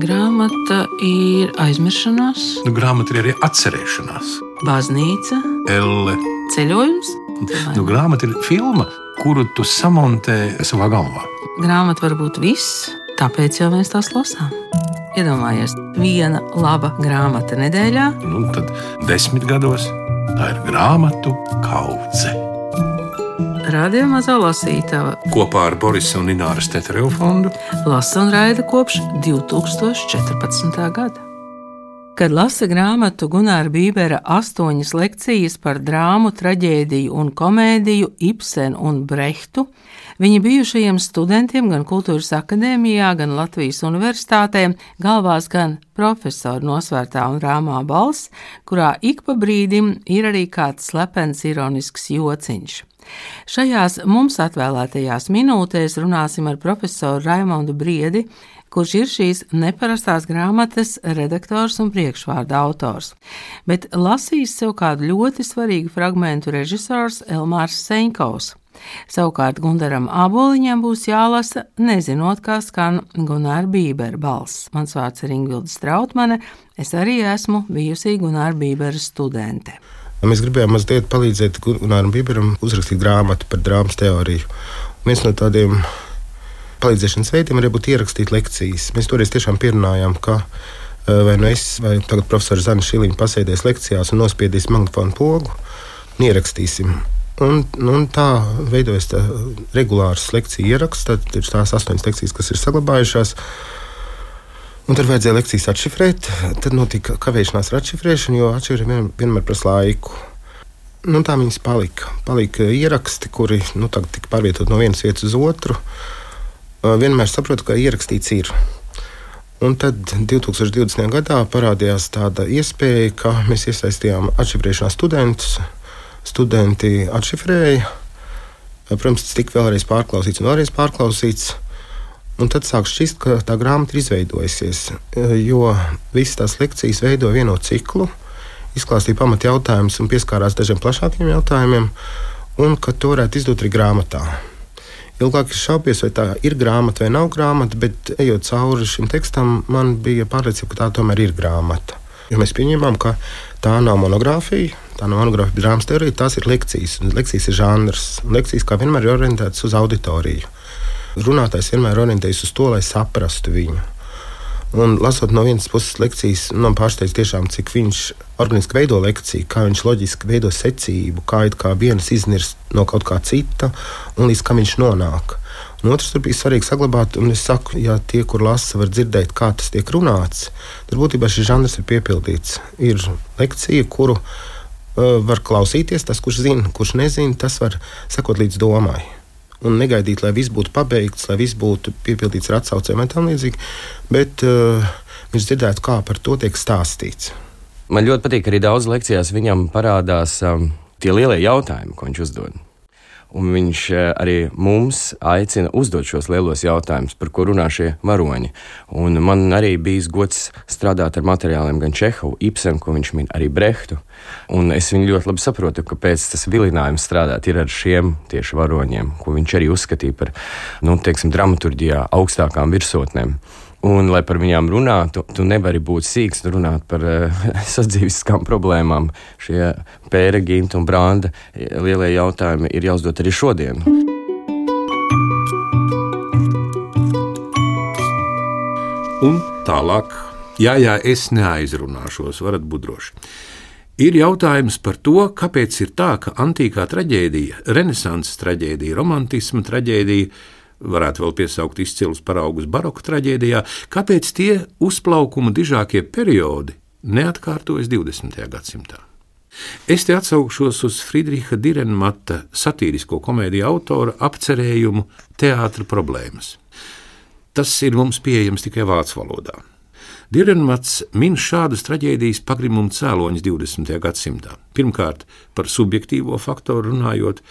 Grāmata ir aizmiršanās, Grāmata ir arī atcerēšanās. baznīca, Elle. ceļojums. Grāmata ir filma, kuru tu samontē savā galvā. Grāmata var būt viss, tāpēc jau mēs tās lasām. Iedomājies, viena laba grāmata nedēļā. Tad 10 gados tā ir grāmatu kaudze. Radio Mazā lasītava Kopā ar Borisa un Ināras Teterevu fondu lasa un raida kopš 2014. gada. Kad lasa grāmatu Gunāra Bībera 8 lekcijas par drāmu, traģēdiju un komēdiju Ibsenu un Brehtu, viņa bijušajiem studentiem gan Kultūras akadēmijā, gan Latvijas universitātē galvās gan profesoru nosvērtā un rāmā balss, kurā ik pa brīdim ir arī kāds slepens ironisks jociņš. Šajās mums atvēlētajās minūtēs runāsim ar profesoru Raimondu Briedi, kurš ir šīs neparastās grāmatas redaktors un priekšvārda autors. Bet lasīs sev kādu ļoti svarīgu fragmentu režisors Elmārs Seņkovs. Savukārt Gundaram Āboliņam būs jālasa, nezinot, kā skan Gunāra Bībera balss. Mans vārds ir Ingvilda Strautmane, es arī esmu bijusī Gunāra Bībera studente. Mēs gribējām mazliet palīdzēt Gunāram Bīberam uzrakstīt grāmatu par drāmas teoriju. Viens no tādiem palīdzēšanas veidiem arī būtu ierakstīt lekcijas. Mēs toreiz tiešām pierunājām, ka vai nu es, vai tagad profesora Zana Šiliņa pasēdēs lekcijās un nospiedīs magnetofonu pogu un ierakstīsim. Un tā veidojas tā regulārs lekciju ieraksts, tad ir tās 8 lekcijas, kas ir saglabājušās. Un tad vajadzēja lekcijas atšifrēt, tad notika kavēšanās ar atšifrēšanu, jo atšifrēšana vienmēr prasa laiku. Tā viņas palika. Palika ieraksti, kuri tagad tika pārvietot no vienas vietas uz otru. Vienmēr saprotu, ka ierakstīts ir. Un tad 2020. gadā parādījās tāda iespēja, ka mēs iesaistījām atšifrēšanā studentus. Studenti atšifrēja. Protams, tas tika vēlreiz pārklausīts un vēlreiz pārklausīts. Un tad sāk šķist, ka tā grāmata ir izveidojusies, jo visas tās lekcijas veido vienotu ciklu, izklāstīja pamat jautājumus un pieskārās dažiem plašākiem jautājumiem, un ka to varētu izdot arī grāmatā. Ilgāk es šaubies, vai tā ir grāmata vai nav grāmata, bet ejot cauri šim tekstam, man bija pārliecība, ka tā tomēr ir grāmata. Jo mēs pieņēmām, ka tā nav monogrāfija, drāmas teorija, tās ir lekcijas, un lekcijas ir žanrs, un lekcijas kā vienmēr ir orientētas uz auditoriju. Runātājs vienmēr orientējas uz to, lai saprastu viņu. Un lasot no vienas puses lekcijas, man pārsteidz tiešām, cik viņš organiski veido lekciju, kā viņš loģiski veido secību, kā viens iznirst no kaut kā cita un līdz kam viņš nonāk. Un otrs tur bija svarīgi saglabāt, un es saku, ja tie, kur lasa, var dzirdēt, kā tas tiek runāts, tad būtībā šis žanrs ir piepildīts. Ir lekcija, kuru var klausīties, tas, kurš zina, kurš nezina, tas var sekot līdz domai. Un negaidīt, lai viss būtu pabeigts, lai viss būtu piepildīts ar atsaucēm vai tam līdzīgi, bet viņš dzirdētu, kā par to tiek stāstīts. Man ļoti patīk, arī daudz lekcijās viņam parādās tie lielie jautājumi, ko viņš uzdod. Un viņš arī mums aicina uzdot šos lielos jautājumus, par ko runā šie varoņi. Un man arī bijis gods strādāt ar materiāliem gan Čehovu, Ibsenu, ko viņš min, arī Brehtu. Un es viņu ļoti labi saprotu, kāpēc tas vilinājums strādāt ir ar šiem tieši varoņiem, ko viņš arī uzskatīja par, dramaturģijā augstākām virsotnēm. Un, lai par viņām runātu, tu nevari būt sīks runāt par sadzīviskām problēmām. Šie Pēra, Ginta un Branda lielie jautājumi ir jāuzdot arī šodien. Un tālāk, jā, es neaizrunāšos, varat būt droši. Ir jautājums par to, kāpēc ir tā, ka antīkā traģēdija, renesanses traģēdija, romantisma traģēdija, varētu vēl piesaukt izcilus paraugus baroka traģēdijā, kāpēc tie uzplaukuma dižākie periodi neatkārtojas 20. gadsimtā. Es te atsaukšos uz Friedricha Dürrenmatta satīrisko komēdiju autora apcerējumu Teātra problēmas. Tas ir mums pieejams tikai vācu valodā. Dürrenmatts min šādus traģēdijas pagrimumu cēloņus 20. gadsimtā. Pirmkārt, par subjektīvo faktoru runājot,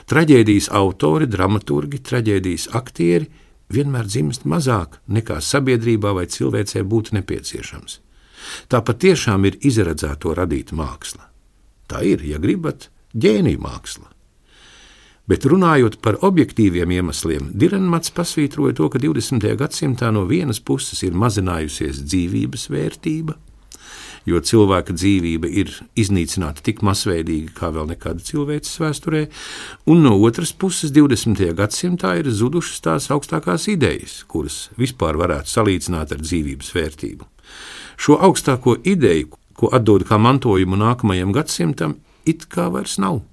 traģēdijas autori, dramaturgi, traģēdijas aktieri vienmēr dzimst mazāk nekā sabiedrībā vai cilvēcē būtu nepieciešams. Tā patiešām ir izredzēto radīt māksla. Tā ir, ja gribat, ģēnija māksla. Bet runājot par objektīviem iemesliem, Direnmats pasvītroja to, ka 20. gadsimtā no vienas puses ir mazinājusies dzīvības vērtība, jo cilvēka dzīvība ir iznīcināta tik masveidīgi kā vēl nekāda cilvēces vēsturē, un no otras puses 20. gadsimtā ir zudušas tās augstākās idejas, kuras vispār varētu salīdzināt ar dzīvības vērtību. Šo augstāko ideju, ko atdod kā mantojumu nākamajam gadsimtam, it kā vairs nav.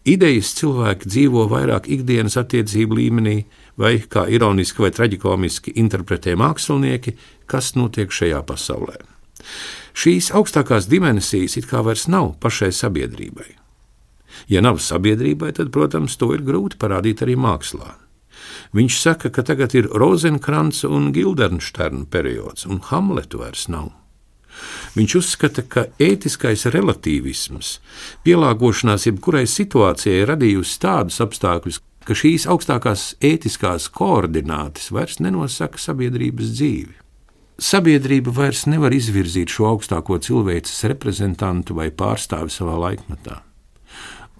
Idejas cilvēki dzīvo vairāk ikdienas attiecību līmenī, vai, kā ironiski vai traģikomiski interpretē mākslinieki, kas notiek šajā pasaulē. Šīs augstākās dimensijas it kā vairs nav pašai sabiedrībai. Ja nav sabiedrībai, tad, protams, to ir grūti parādīt arī mākslā. Viņš saka, ka tagad ir Rozenkranca un Gildensterna periods, un Hamletu vairs nav. Viņš uzskata, ka ētiskais relatīvisms, pielāgošanās jebkurai situācijai radījusi tādus apstākļus, ka šīs augstākās ētiskās koordinātes vairs nenosaka sabiedrības dzīvi. Sabiedrība vairs nevar izvirzīt šo augstāko cilvēces reprezentantu vai pārstāvi savā laikmetā.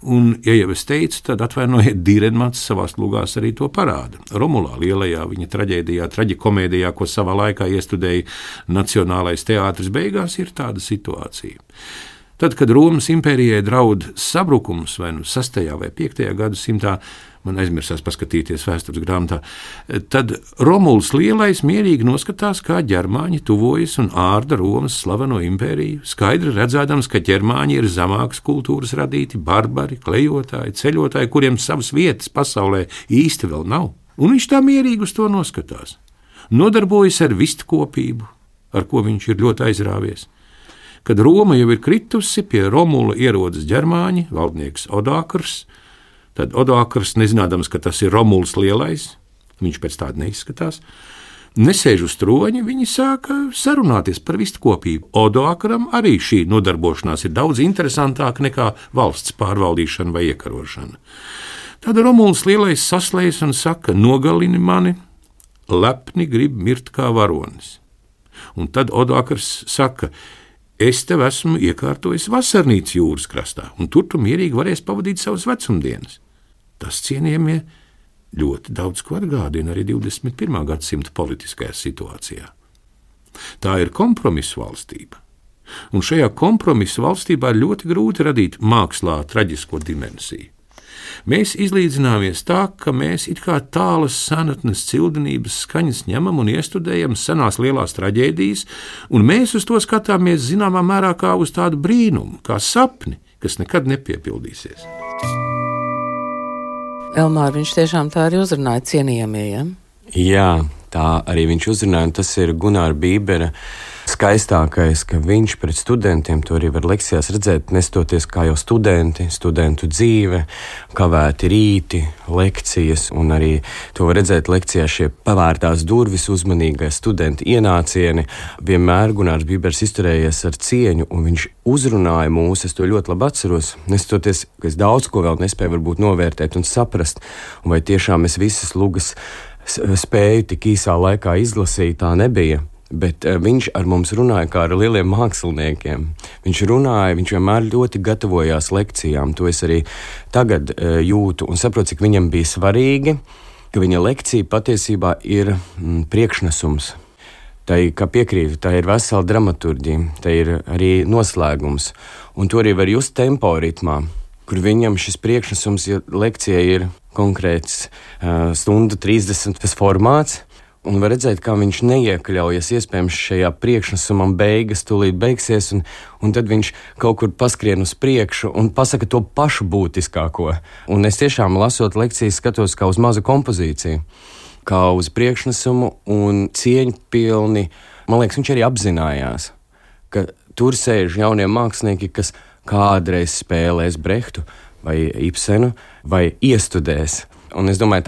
Un, ja jau es teicu, tad atvainojiet, Direnmats savās lugās arī to parāda. Romulā lielajā viņa traģēdijā, traģikomēdijā, ko savā laikā iestudēja Nacionālais teātris, beigās ir tāda situācija. Tad, kad Romas impērijai draud sabrukums vai 6. vai 5. gadsimtā, man aizmirsās paskatīties vēstures grāmatā, tad Romuls Lielais mierīgi noskatās, kā ģermāņi tuvojas un ārda Romas slaveno impēriju, skaidri redzēdams, ka ģermāņi ir zemākas kultūras radīti, barbari, klejotāji, ceļotāji, kuriem savas vietas pasaulē īsti vēl nav. Un viņš tā mierīgi uz to noskatās. Nodarbojas ar vistkopību, ar ko viņš ir ļoti aizrāvies. Kad Roma jau ir kritusi, pie Romula ierodas ģermāņi, valdnieks Odākrs, tad Odākrs, nezinādams, ka tas ir Romuls Lielais, viņš pēc tāda neizskatās, nesēž uz troņa, viņi sāka sarunāties par vistkopību. Odākram arī šī nodarbošanās ir daudz interesantāka nekā valsts pārvaldīšana vai iekarošana. Tad Romuls Lielais saslējas un saka, nogalini mani, lepni grib mirt kā varonis. Un tad Odākrs saka, es tev esmu iekārtojis vasarnīcu jūras krastā, un tur tu mierīgi varēsi pavadīt savas vecumdienas. Tas, cienījamie, ļoti daudz ko atgādina arī 21. gadsimta politiskajā situācijā. Tā ir kompromisu valstība, un šajā kompromisu valstībā ir ļoti grūti radīt mākslā traģisko dimensiju. Mēs izlīdzināmies tā, ka mēs it kā tālas senatnes cildenības skaņas ņemam un iestudējam senās lielās traģēdijas, un mēs uz to skatāmies zināmā mērā kā uz tādu brīnumu, kā sapni, kas nekad nepiepildīsies. Elmār, viņš tiešām tā arī uzrunāja cienījamie, ja? Jā, tā arī viņš uzrunāja, un tas ir Gunāra Bībera skaistākais, ka viņš pret studentiem, to arī var lekcijās redzēt, nestoties kā jau studenti, studentu dzīve, kavēti rīti, lekcijas, un arī to var redzēt lekcijās šie pavērtās durvis, uzmanīgai studenti ienācieni. Vienmēr Gunārs Bībers izturējies ar cieņu, un viņš uzrunāja mūs, es to ļoti labi atceros, nestoties, ka es daudz ko vēl nespēju varbūt novērtēt un saprast, un vai tiešām es visas lugas spēju tik īsā laikā izlasīt, tā nebija. Bet viņš ar mums runāja kā ar lieliem māksliniekiem. Viņš runāja, viņš vienmēr ļoti gatavojās lekcijām. To es arī tagad jūtu un saprotu, cik viņam bija svarīgi, ka viņa lekcija patiesībā ir priekšnesums. Tā ir, kā piekrītu, tā ir vesela dramaturģija, tā ir arī noslēgums. Un to arī var just tempo ritmā, kur viņam šis priekšnesums, ja lekcija ir konkrēts stundu 30 tas formāts, un var redzēt, kā viņš neiekļaujas iespējams šajā priekšnesumam beigas, tūlīt beigsies, un tad viņš kaut kur paskrien uz priekšu un pasaka to pašu būtiskāko. Un es tiešām lasot lekcijas skatos kā uz mazu kompozīciju, kā uz priekšnesumu un cieņpilni. Man liekas, viņš arī apzinājās, ka tur sēž jaunie mākslinieki, kas kādreiz spēlēs Brehtu vai Ibsenu vai iestudēs. Un es domāju,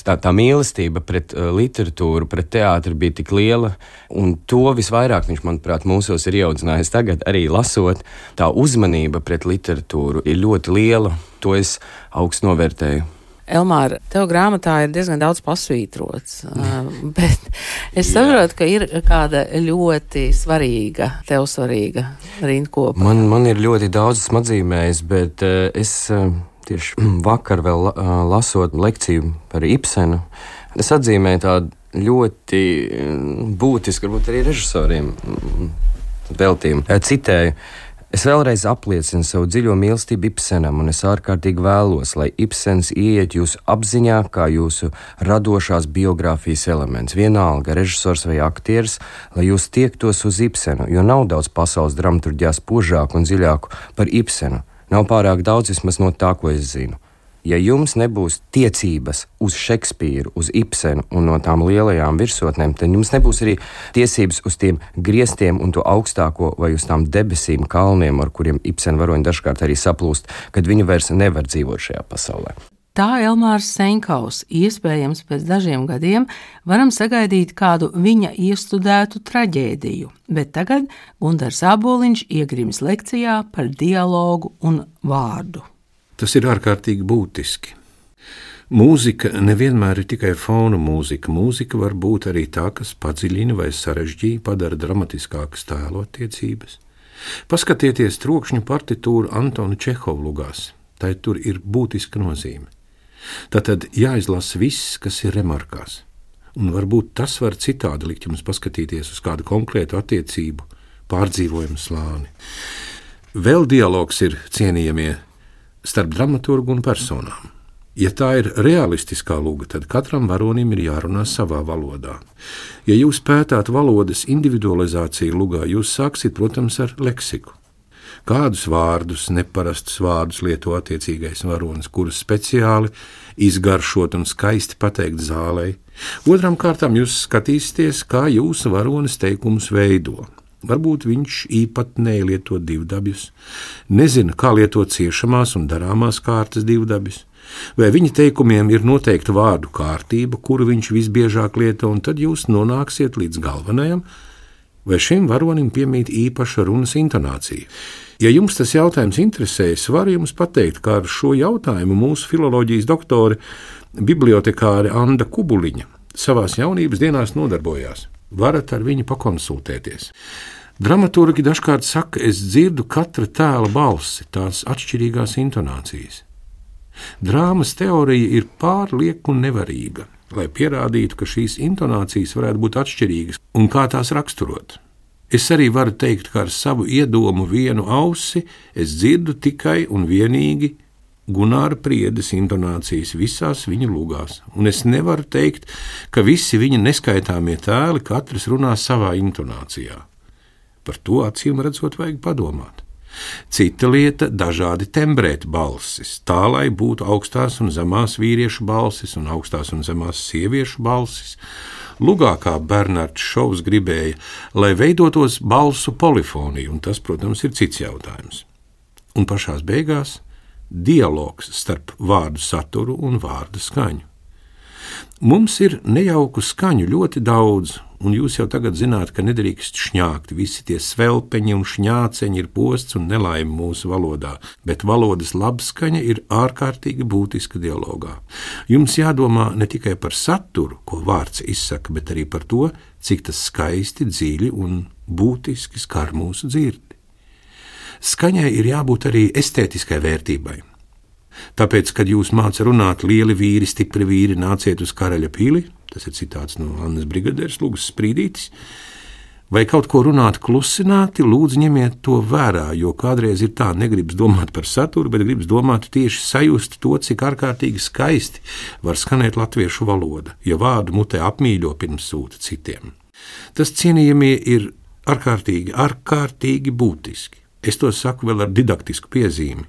tā mīlestība pret literatūru, pret teātri bija tik liela, un to visvairāk viņš, manuprāt, mūsos ir ieaudzinājis tagad, arī lasot. Tā uzmanība pret literatūru ir ļoti liela, to es augstu novērtēju. Elmār, tev grāmatā ir diezgan daudz pasvītrots, bet es saprotu, ka ir kāda ļoti svarīga rindkopa. Man ir ļoti daudz atzīmējis, bet es tieši vakar vēl lasot lekciju par Ibsenu, es atzīmēju tādu ļoti būtisku, varbūt arī režisoriem veltījumu. Citēju: es vēlreiz apliecinu savu dziļo mīlestību Ibsenam, un es ārkārtīgi vēlos, lai Ibsens ieiet jūsu apziņā kā jūsu radošās biogrāfijas elements. Vienalga, režisors vai aktieris, lai jūs tiektos uz Ibsenu, jo nav daudz pasaules dramaturģijā spožāku un dziļāku par Ibsenu. Nav pārāk daudz, vismaz no tā, ko es zinu. Ja jums nebūs tiecības uz Šekspīru, uz Ibsenu un no tām lielajām virsotnēm, tad jums nebūs arī tiesības uz tiem griestiem un to augstāko vai uz tām debesīm kalniem, ar kuriem Ibsena varoņi dažkārt arī saplūst, kad viņi vairs nevar dzīvot šajā pasaulē. Tā Elmārs Senkaus, iespējams pēc dažiem gadiem, varam sagaidīt kādu viņa iestudētu traģēdiju, bet tagad Gundars Āboliņš iegrims lekcijā par dialogu un vārdu. Tas ir ārkārtīgi būtiski. Mūzika nevienmēr ir tikai fona mūzika. Mūzika var būt arī tā, kas padziļina vai sarežģīja, padara dramatiskākas tēlottiecības. Paskatieties trokšņu partitūru Antona Čehova lugās. Tai tur ir būtiska nozīme. Tātad jāizlasa viss, kas ir remarkās. Un varbūt tas var citādi likt jums paskatīties uz kādu konkrētu attiecību, pārdzīvojumu slāni. Vēl dialogs ir cienījamie starp dramaturgu un personām. Ja tā ir realistiskā luga, tad katram varonim ir jārunā savā valodā. Ja jūs pētāt valodas individualizāciju lugā, jūs sāksiet, protams, ar leksiku. Kādus vārdus, neparastus vārdus lieto attiecīgais varonis, kurus speciāli izgaršot un skaisti pateikt zālei. Otram kārtām jūs skatīsieties, kā jūsu varonis teikumus veido. Varbūt viņš īpatnēji lieto divdabjus, nezina, kā lietot ciešamās un darāmās kārtas divdabjus, vai viņa teikumiem ir noteikta vārdu kārtība, kuru viņš visbiežāk lieto, un tad jūs nonāksiet līdz galvenajam, vai šim varonim piemīt īpaša runas intonācija. Ja jums tas jautājums interesē, es varu jums pateikt, kā ar šo jautājumu mūsu filoloģijas doktore, bibliotekāre Anda Kubuliņa savās jaunības dienās nodarbojās. Varat ar viņu pakonsultēties. Dramaturgi dažkārt saka, es dzirdu katra tēla balsi, tās atšķirīgās intonācijas. Drāmas teorija ir pārlieku nevarīga, lai pierādītu, ka šīs intonācijas varētu būt atšķirīgas un kā tās raksturot. Es arī varu teikt, ka ar savu iedomu vienu ausi es dzirdu tikai un vienīgi Gunāra Priedes intonācijas visās viņa lugās, un es nevaru teikt, ka visi viņa neskaitāmie tēli katrs runā savā intonācijā. Par to acīm redzot vajag padomāt. Cita lieta – dažādi tembrēt balsis, tā lai būtu augstās un zemās vīriešu balsis un augstās un zemās sieviešu balsis. Lugā, kā Bernards Šovs gribēja, lai veidotos balsu polifonija, un tas, protams, ir cits jautājums. Un pašās beigās dialogs starp vārdu saturu un vārdu skaņu. Mums ir nejauku skaņu ļoti daudz, un jūs jau tagad zināt, ka nedrīkst šņākt. Visi tie svelpeņi un šņāceņi ir posts un nelaime mūsu valodā, bet valodas labskaņa ir ārkārtīgi būtiska dialogā. Jums jādomā ne tikai par saturu, ko vārds izsaka, bet arī par to, cik tas skaisti, dziļi un būtiski skar mūsu dzirdi. Skaņai ir jābūt arī estētiskai vērtībai. Tāpēc, kad jūs māca runāt lieli vīri, stipri vīri, nāciet uz Karaļa pili, tas ir citāts no Annas Brigadieres lugas Sprīdītis, vai kaut ko runāt klusināti, lūdzu ņemiet to vērā, jo kādreiz ir tā, negribas domāt par saturu, bet gribas domāt tieši sajust to, cik ārkārtīgi skaisti var skanēt latviešu valoda, ja vārdu mutē apmīļo pirms sūta citiem. Tas, cienījamie, ir ārkārtīgi būtiski. Es to saku vēl ar didaktisku piezīmi.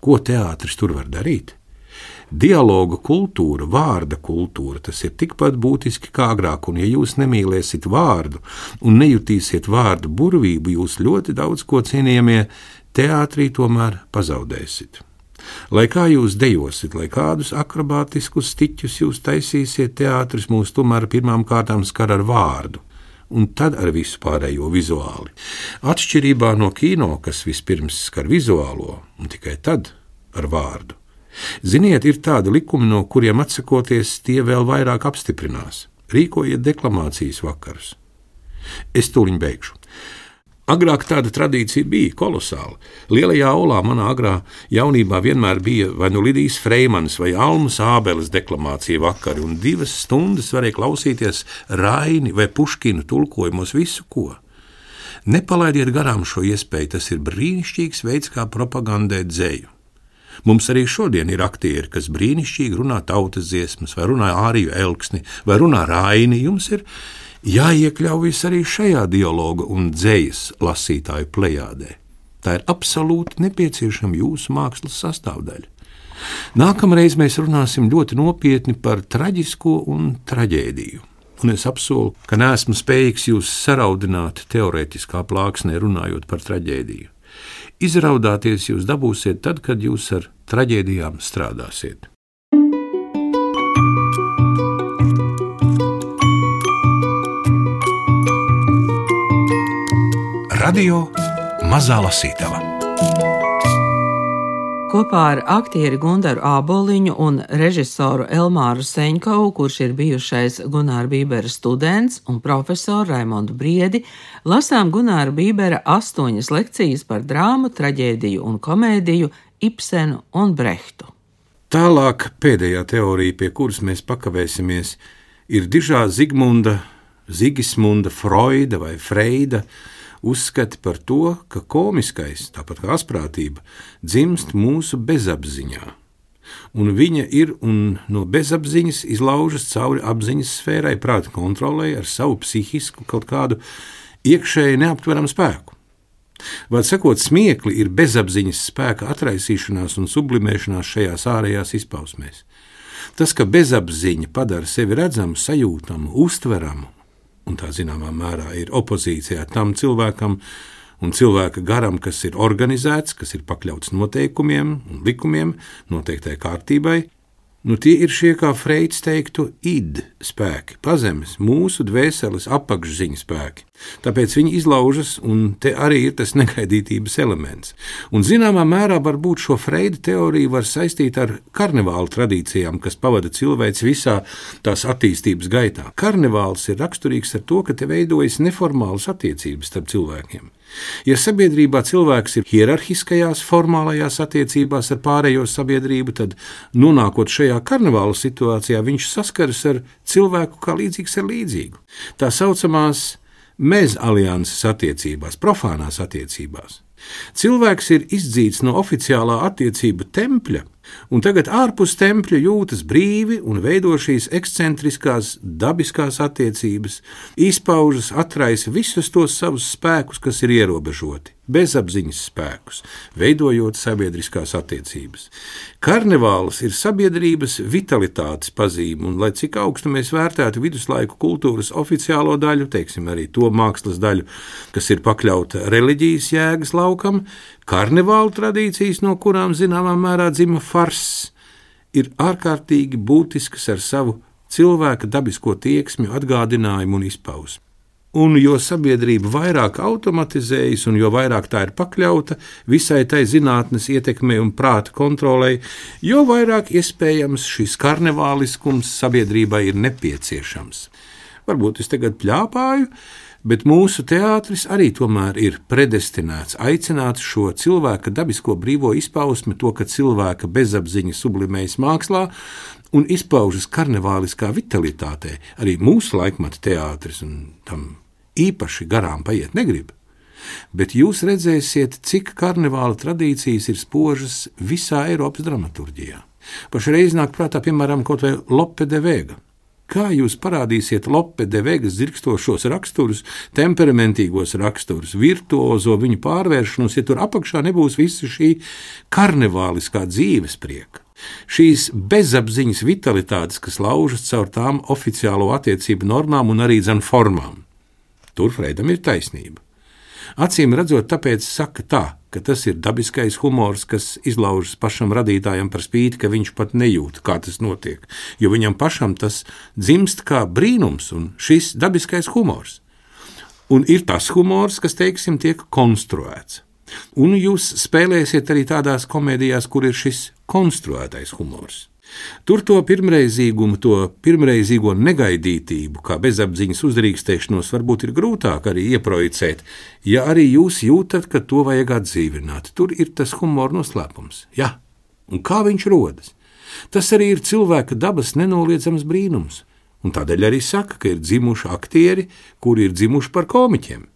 Ko teātris tur var darīt? Dialoga kultūra, vārda kultūra, tas ir tikpat būtiski kā agrāk, un ja jūs nemīlēsiet vārdu un nejutīsiet vārdu burvību, jūs ļoti daudz ko, cienījamie, teātrī tomēr pazaudēsiet. Lai kā jūs dejosit, lai kādus akrobātiskus stiķus jūs taisīsiet, teātris mūs tomēr pirmām kārtām skar ar vārdu, un tad ar visu pārējo vizuāli. Atšķirībā no kino, kas vispirms skar vizuālo, un tikai tad ar vārdu. Ziniet, ir tādi likumi, no kuriem atsakoties, tie vēl vairāk apstiprinās. Rīkojiet deklamācijas vakarus. Es tūliņ beigšu. Agrāk tāda tradīcija bija kolosāla. Lielajā olā manā agrā jaunībā vienmēr bija vai nu Lidijas Freimanas vai Almas Ābeles deklamācija vakari, un 2 stundas varēja klausīties Raini vai Puškinu tulkojumos visu ko. Nepalaidiet garām šo iespēju, tas ir brīnišķīgs veids, kā propagandēt dzeju. Mums arī šodien ir aktieri, kas brīnišķīgi runā tautas dziesmas, vai runā Āriju Elksni, vai runā Raini. Jums ir jāiekļaujas arī šajā dialoga un dzejas lasītāju plejādē. Tā ir absolūti nepieciešama jūsu mākslas sastāvdaļa. Nākamreiz mēs runāsim ļoti nopietni par traģisko un traģēdiju. Un es apsolu, ka neesmu spējīgs jūs saraudināt teorētiskā plāksnē runājot par traģēdiju. Izraudāties jūs dabūsiet tad, kad jūs ar traģēdijām strādāsiet. Radio Mazā Lasītava. Kopā ar aktieri Gundaru Āboliņu un režisoru Elmāru Seņkovu, kurš ir bijušais Gunāra Bībera students, un profesoru Raimondu Briedi, lasām Gunāra Bībera 8 lekcijas par drāmu, traģēdiju un komēdiju, Ibsenu un Brehtu. Tālāk pēdējā teorija, pie kuras mēs pakavēsimies, ir dižā Zigmunda, Zigismunda, Freuda vai Freida uzskati par to, ka komiskais, tāpat kā asprātība, dzimst mūsu bezapziņā. Un viņa ir un no bezapziņas izlaužas cauri apziņas sfērai, prāta kontrolei ar savu psihisku kaut kādu iekšēji neaptveramu spēku. Vārds sakot, smiekli ir bezapziņas spēka atraisīšanās un sublimēšanās šajās ārējās izpausmēs. Tas, ka bezapziņa padara sevi redzamu, sajūtamu, uztveramu, un tā zināmā mērā ir opozīcijā tam cilvēkam un cilvēka garam, kas ir organizēts, kas ir pakļauts noteikumiem un likumiem, noteiktai kārtībai, tie ir šie, kā Freids teiktu, id spēki, pazemes, mūsu dvēseles apakšziņas spēki. Tāpēc viņi izlaužas, un te arī ir tas negaidītības elements. Un zināmā mērā varbūt šo Freida teoriju var saistīt ar karnevāla tradīcijām, kas pavada cilvēks visā tās attīstības gaitā. Karnevāls ir raksturīgs ar to, ka te veidojas neformālas attiecības starp cilvēkiem. Ja sabiedrībā cilvēks ir hierarhiskajās, formālajās attiecībās ar pārējo sabiedrību, tad, nonākot šajā karnevāla situācijā, viņš saskaras ar cilvēku kā līdzīgs ar līdzīgu. Tā saucamās mezalianses attiecībās, profānās attiecībās. Cilvēks ir izdzīts no oficiālā attiecību tempļa, un tagad ārpus tempļa jūtas brīvi un veido šīs ekscentriskās, dabiskās attiecības, izpaužas, atraisa visus tos savus spēkus, kas ir ierobežoti, bezapziņas spēkus, veidojot sabiedriskās attiecības. Karnevāls ir sabiedrības vitalitātes pazīme, un lai cik augstu mēs vērtētu viduslaiku kultūras oficiālo daļu, teiksim arī to mākslas daļu, kas ir pakļauta reliģijas jēgas laukam, karnevālu tradīcijas, no kurām zināmā mērā dzima farss, ir ārkārtīgi būtiskas ar savu cilvēka dabisko tieksmi, atgādinājumu un izpausmi. Un jo sabiedrība vairāk automatizējas un jo vairāk tā ir pakļauta visai tai zinātnes ietekmei un prāta kontrolei, jo vairāk iespējams šis karnevāliskums sabiedrībai ir nepieciešams. Varbūt es tagad pļāpāju, bet mūsu teātris arī tomēr ir predestinēts aicināt šo cilvēka dabisko brīvo izpausmi, to, ka cilvēka bezapziņa sublimējas mākslā un izpaužas karnevāliskā vitalitātē. Arī mūsu laikmata teātris un tam īpaši garām paiet negrib. Bet jūs redzēsiet, cik karnevāla tradīcijas ir spožas visā Eiropas dramaturģijā. Pašreiz nāk prātā, piemēram, kaut vai Lope de Vega. Kā jūs parādīsiet Lope de Vegas dzirkstošos raksturus, temperamentīgos raksturus, virtuozo viņu pārvēršanos, ja tur apakšā nebūs visa šī karnevāliskā dzīves prieka? Šīs bezapziņas vitalitātes, kas laužas caur tām oficiālo attiecību normām un arī dzen formām. Tur Freidam ir taisnība. Acīm redzot, tāpēc saka tā, ka tas ir dabiskais humors, kas izlaužas pašam radītājam par spīti, ka viņš pat nejūt, kā tas notiek, jo viņam pašam tas dzimst kā brīnums un šis dabiskais humors. Un ir tas humors, kas, teiksim, tiek konstruēts. Un jūs spēlēsiet arī tādās komēdijās, kur ir šis konstruētais humors. Tur to pirmreizīgumu, to pirmreizīgo negaidītību, kā bezapziņas uzdrīkstēšanos, varbūt ir grūtāk arī ieprojicēt, ja arī jūs jūtat, ka to vajag atdzīvināt. Tur ir tas humora noslēpums. Jā, un kā viņš rodas? Tas arī ir cilvēka dabas nenoliedzams brīnums, un tādēļ arī saka, ka ir dzimuši aktieri, kuri ir dzimuši par komiķiem.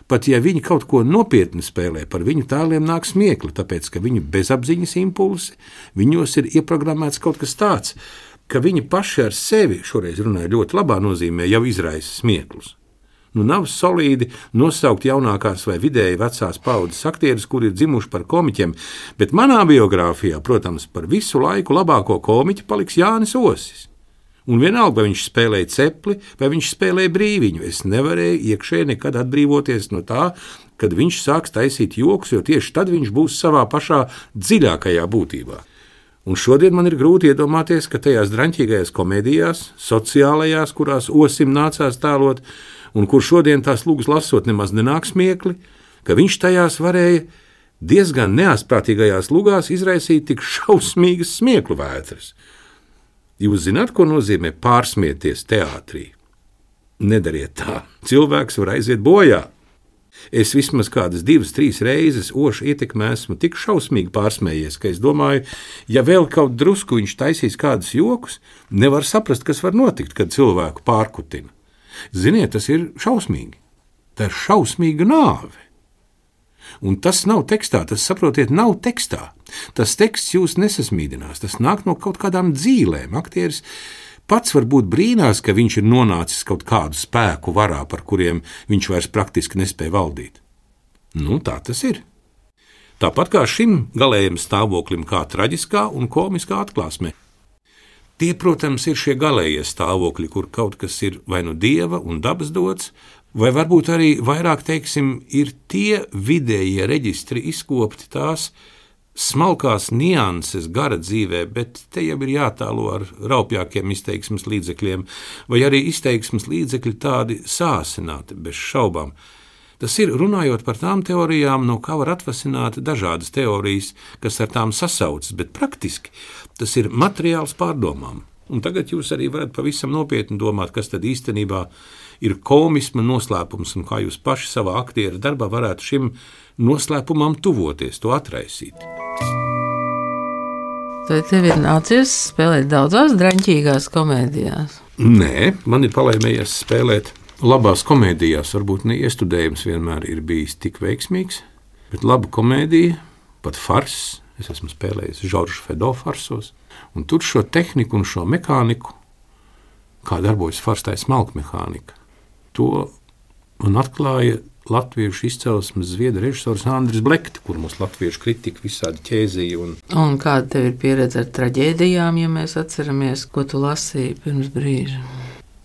Pat ja viņi kaut ko nopietni spēlē, par viņu tēliem nāk smiekli, tāpēc, ka viņu bezapziņas impulsi, viņos ir ieprogrammēts kaut kas tāds, ka viņi paši ar sevi, šoreiz runāju ļoti labā nozīmē, jau izraisa smieklus. Nav solīdi nosaukt jaunākās vai vidēji vecās paudzes aktierus, kuri ir dzimuši par komiķiem, bet manā biogrāfijā, protams, par visu laiku labāko komiķi paliks Jānis Osis. Un vienalga, vai viņš spēlēja cepli, vai viņš spēlēja brīviņu, es nevarēju iekšēji nekad atbrīvoties no tā, kad viņš sāks taisīt joks, jo tieši tad viņš būs savā pašā dziļākajā būtībā. Un šodien man ir grūti iedomāties, ka tajās draņķīgajās komēdijās, sociālajās, kurās Osim nācās tēlot, un kur šodien tās lūgas lasot nemaz nenāk smiekli, ka viņš tajās varēja diezgan neasprātīgajās lugās izraisīt tik šausmīgas smieklu vētras. Jūs zināt, ko nozīmē pārsmieties teātrī? Nedariet tā. Cilvēks var aiziet bojā. Es vismaz kādas 2-3 reizes Ošu ietekmē esmu tik šausmīgi pārsmējies, ka es domāju, ja vēl kaut drusku viņš taisīs kādus jokus, nevar saprast, kas var notikt, kad cilvēku pārkutina. Ziniet, tas ir šausmīgi. Tā ir šausmīga nāve. Un tas nav tekstā, tas, saprotiet, nav tekstā. Tas teksts jūs nesasmīdinās, tas nāk no kaut kādām dzīlēm. Aktieris pats varbūt brīnās, ka viņš ir nonācis kaut kādu spēku varā, par kuriem viņš vairs praktiski nespēja valdīt. Tā tas ir. Tāpat kā šim galējam stāvoklim, kā traģiskā un komiskā atklāsmē. Tie, protams, ir šie galējie stāvokļi, kur kaut kas ir vai nu dieva un dabas dots, vai varbūt arī vairāk, teiksim, ir tie vidējie reģistri izkopti, tās smalkās nianses gara dzīvē, bet te jau ir jātēlo ar raupjākiem izteiksmes līdzekļiem, vai arī izteiksmes līdzekļi tādi sāsināti, bez šaubām. Tas ir runājot par tām teorijām, no kā var atvasināt dažādas teorijas, kas ar tām sasaucas, bet praktiski tas ir materiāls pārdomām. Un tagad jūs arī varat pavisam nopietni domāt, kas tad īstenībā ir komisma noslēpums un kā jūs paši savā aktiera darbā varētu šim noslēpumam tuvoties, to atraisīt. Vai tev ir nācies spēlēt daudzās draņķīgās komēdijās? Nē, man ir palaimējies spēlēt labās komēdijās. Varbūt ne iestudējums vienmēr ir bijis tik veiksmīgs, bet laba komēdija, pat fars. Es esmu spēlējis Žorža Fedo farsos, un tur šo tehniku un šo mehāniku, kā darbojas fars, tā ir smalka mehānika. To man atklāja latviešu izcelsmes zviedru režisors Andris Blekti, kur mums latviešu kritika visādi ķēzīja. Un kāda tev ir pieredze ar traģēdijām, ja mēs atceramies, ko tu lasīji pirms brīža?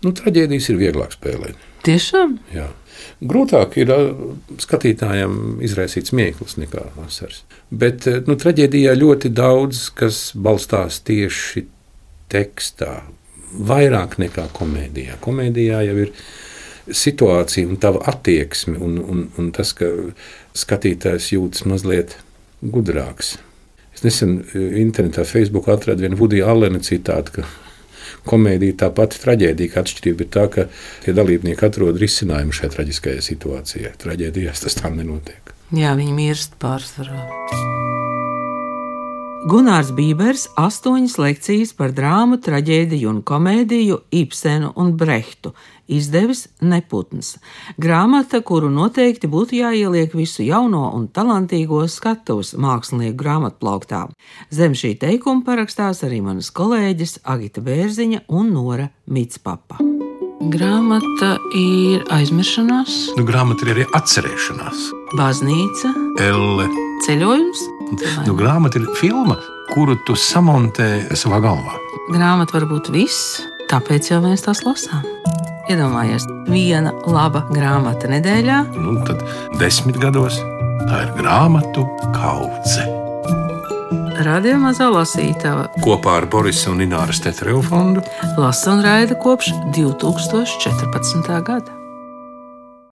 Traģēdijas ir vieglāk spēlēt. Tiešām? Jā. Grūtāk ir skatītājiem izraisīt smieklis nekā asaras. Bet traģēdijā ļoti daudz, kas balstās tieši tekstā, vairāk nekā komēdijā. Komēdijā jau ir situācija un tava attieksme un tas, ka skatītājs jūtas mazliet gudrāks. Es nesen internetā Facebook atradu vienu Vudija Allena citātu, ka komēdija tā pati traģēdija, ka atšķirība ir tā, ka tie dalībnieki atrod risinājumu šai traģiskajai situācijai. Traģēdijās tas tā nenotiek. Jā, viņi mirst pārsvarā. Gunārs Bībers 8 lekcijas par drāmu, traģēdiju un komēdiju, Ibsenu un Brehtu izdevis Neputns. Grāmata, kuru noteikti būtu jāieliek visu jauno un talantīgo skatuves mākslinieku grāmatplauktā. Zem šī teikuma parakstās arī manas kolēģis Agita Bērziņa un Nora Mitspapa. Grāmata ir aizmiršanās. Grāmata ir arī atcerēšanās. Baznīca. Elle. Ceļojums. Grāmata ir filma, kuru tu samontē savā galvā. Grāmata var būt viss, tāpēc jau mēs tās lasām. Iedomājies, viena laba grāmata nedēļā. Tad 10 gados tā ir grāmatu kaudze. Radio Mazā lasītava kopā ar Borisa un Ināras Tetereva fondu lasa un raida kopš 2014. gada.